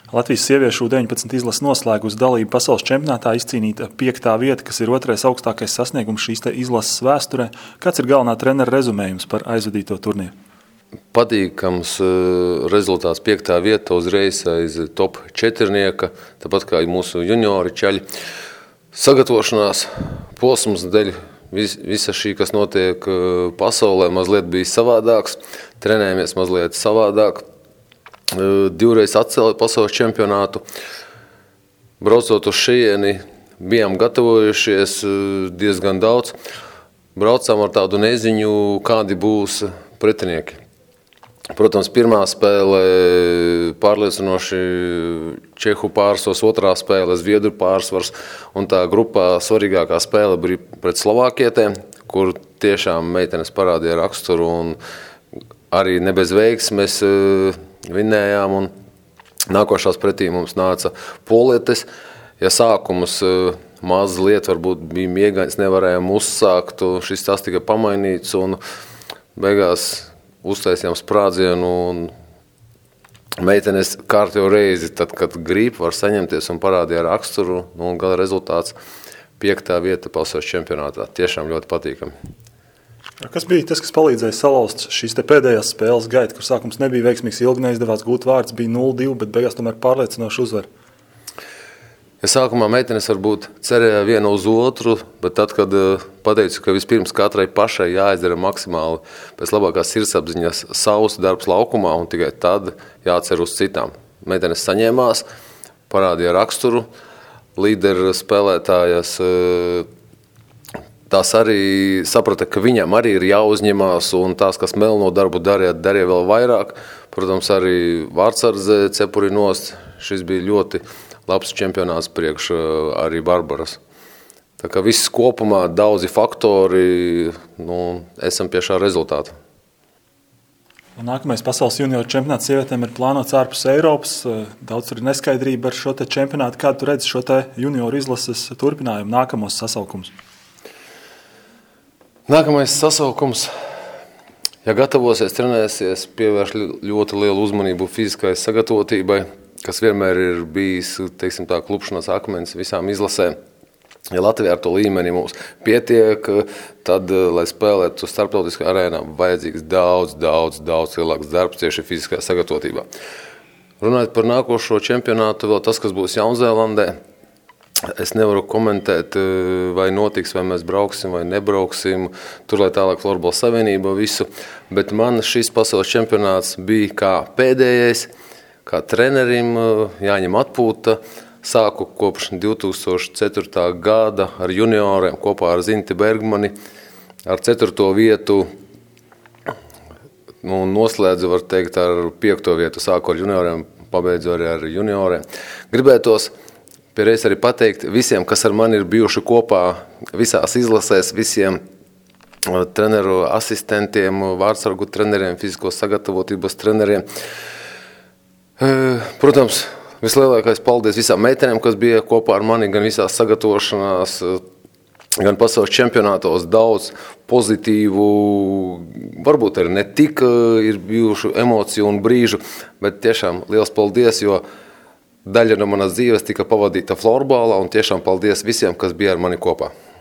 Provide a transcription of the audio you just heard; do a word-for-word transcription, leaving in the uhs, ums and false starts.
Latvijas sieviešu U deviņpadsmit izlases noslēgus dalību pasaules čempionātā, izcīnīta piektā vieta, kas ir otrais augstākais sasniegums šīs te izlases vēsturē. Kāds ir galvenā trenera rezumējums par aizvadīto turnīru? Patīkams rezultāts piektā vieta uzreiz aiz top četrnieka, tāpat kā mūsu juniori čaļi. Sagatavošanās posms dēļ vis, visa šī, kas notiek pasaulē, mazliet bija savādāks, trenējamies mazliet savādāk. Divreiz atcēlīja pasaules čempionātu. Braucot uz šejieni, bijām gatavojušies diezgan daudz. Braucām ar tādu neziņu, kādi būs pretinieki. Protams, pirmā spēle pārliecinoši Čehu pārsvars, otrā spēle Zviedru pārsvars, un tā grupā svarīgākā spēle bija pret Slovākietēm, kur tiešām meitenes parādīja raksturu un arī ne bez veiksmes vinējām, un nākošās pretī mums nāca polietes. Ja sākums mazliet varbūt bija miegains, nevarējām uzsākt, šis tas tika pamainīts, un beigās uztaisījām sprādzienu, un meitenes kārtējo reizi, tad, kad grib, var saņemties un parādīja raksturu, un gala rezultāts piektā vieta pasaules čempionātā. Tiešām ļoti patīkami. Kas bija tas, kas palīdzēja salauzt šīs te pēdējās spēles gaitu, kur sākums nebija veiksmīgs, ilgi neizdevās gūt vārds, bija nulle divi, bet beigās tomēr pārliecinoši uzvar? Ja sākumā meitenes varbūt cerēja vienu uz otru, bet tad, kad pateicu, ka vispirms katrai pašai jāizdara maksimāli pēc labākās sirdsapziņas savs darbs laukumā, un tikai tad jācer uz citām. Meitenes saņēmās, parādīja raksturu, līderu spēlētājas. Tās arī saprata, ka viņam arī ir jāuzņemās, un tās, kas melno darbu darīja, darīja vēl vairāk. Protams, arī vārdsardze cepuri nost. Šis bija ļoti labs čempionāts priekš arī Barbaras. Tā kā viss kopumā daudzi faktori, nu, esam pie šā rezultāta. Un nākamais pasaules junioru čempionāts sievietēm ir plānots ārpus Eiropas. Daudz tur ir neskaidrība ar šo te čempionātu. Kādu tu redzi šo te junioru izlases turpinājumu, nākamos sasaukumus? Nākamais sasaukums, ja gatavosies, trenēsies, pievērš ļoti lielu uzmanību fiziskai sagatavotībai, kas vienmēr ir bijis, teiksim tā, klupšanas akmens visām izlasēm. Ja Latvijā ar to līmeni mums pietiek, tad, lai spēlētu starptautiskā arēnā, vajadzīgs daudz, daudz, daudz lielāks darbs tieši fiziskajā sagatavotībā. Runājot par nākošo čempionātu, vēl tas, kas būs Jaunzēlandē, es nevaru komentēt, vai notiks, vai mēs brauksim, vai nebrauksim. Tur, lai tālāk Florbola savienība visu. Bet man šis pasaules čempionāts bija kā pēdējais, kā trenerim jāņem atpūta. Sāku kopš divi tūkstoši ceturtā gada ar junioriem kopā ar Zinti Bergmani. Ar ceturto vietu nu, noslēdzu, var teikt, ar piekto vietu. Sāku ar junioriem, pabeidzu arī ar junioriem. Gribētos Pierreiz arī pateikt visiem, kas ar mani ir bijuši kopā visās izlasēs, visiem treneru asistentiem, vārdsargu treneriem, fizisko sagatavotības treneriem. Protams, vislielākais paldies visām meitenēm, kas bija kopā ar mani, gan visās sagatavošanās, gan pasaules čempionātos, daudz pozitīvu, varbūt arī ne tik ir bijuši emociju un brīžu, bet tiešām liels paldies, jo daļa no manas dzīves tika pavadīta florbolā, un tiešām paldies visiem, kas bija ar mani kopā.